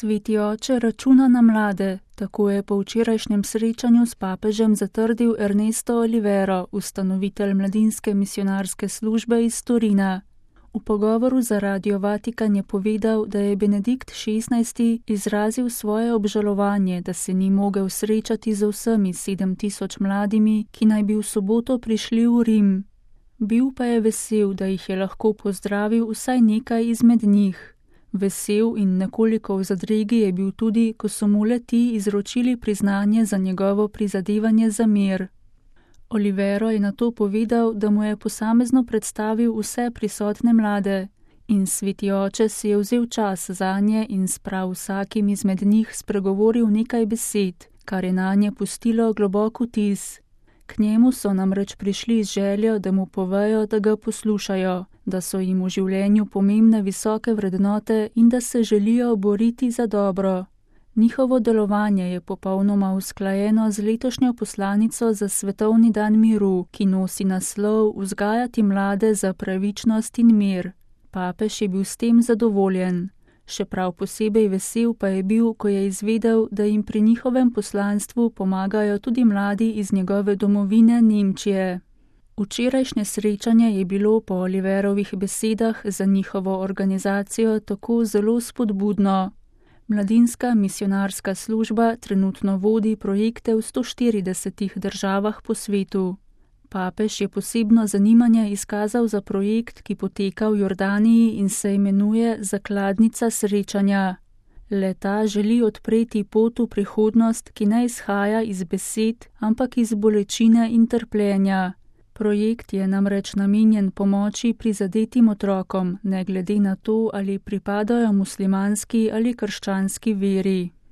Sveti oče računa na mlade, tako je po včerajšnjem srečanju s papežem zatrdil Ernesto Olivero, ustanovitelj mladinske misionarske službe iz Torina. V pogovoru za Radio Vatikan je povedal, da je Benedikt XVI izrazil svoje obžalovanje, da se ni mogel srečati z vsemi 7000 mladimi, ki naj bi v soboto prišli v Rim. Bil pa je vesel, da jih je lahko pozdravil vsaj nekaj izmed njih. Vesel in nekoliko v zadregi je bil tudi, ko so mu le-ti izročili priznanje za njegovo prizadevanje za mir. Olivero je nato povedal, da mu je posamezno predstavil vse prisotne mlade in Sveti oče si je vzel čas zanje in s prav vsakim izmed njih spregovoril nekaj besed, kar je nanje pustilo globok vtis. K njemu so namreč prišli z željo, da mu povejo, da ga poslušajo, da so jim v življenju pomembne visoke vrednote in da se želijo boriti za dobro. Njihovo delovanje je popolnoma usklajeno z letošnjo poslanico za Svetovni dan miru, ki nosi naslov Vzgajati mlade za pravičnost in mir. Papež je bil s tem zadovoljen. Še prav posebej vesel pa je bil, ko je izvedel, da jim pri njihovem poslanstvu pomagajo tudi mladi iz njegove domovine Nemčije. Včerajšnje srečanje je bilo po Oliverovih besedah za njihovo organizacijo tako zelo spodbudno. Mladinska misionarska služba trenutno vodi projekte v 140 državah po svetu. Papež je posebno zanimanje izkazal za projekt, ki poteka v Jordaniji in se imenuje Zakladnica srečanja. Le-ta želi odpreti pot v prihodnost, ki ne izhaja iz besed, ampak iz bolečine in trpljenja. Projekt je namreč namenjen pomoči prizadetim otrokom, ne glede na to, ali pripadajo muslimanski ali krščanski veri.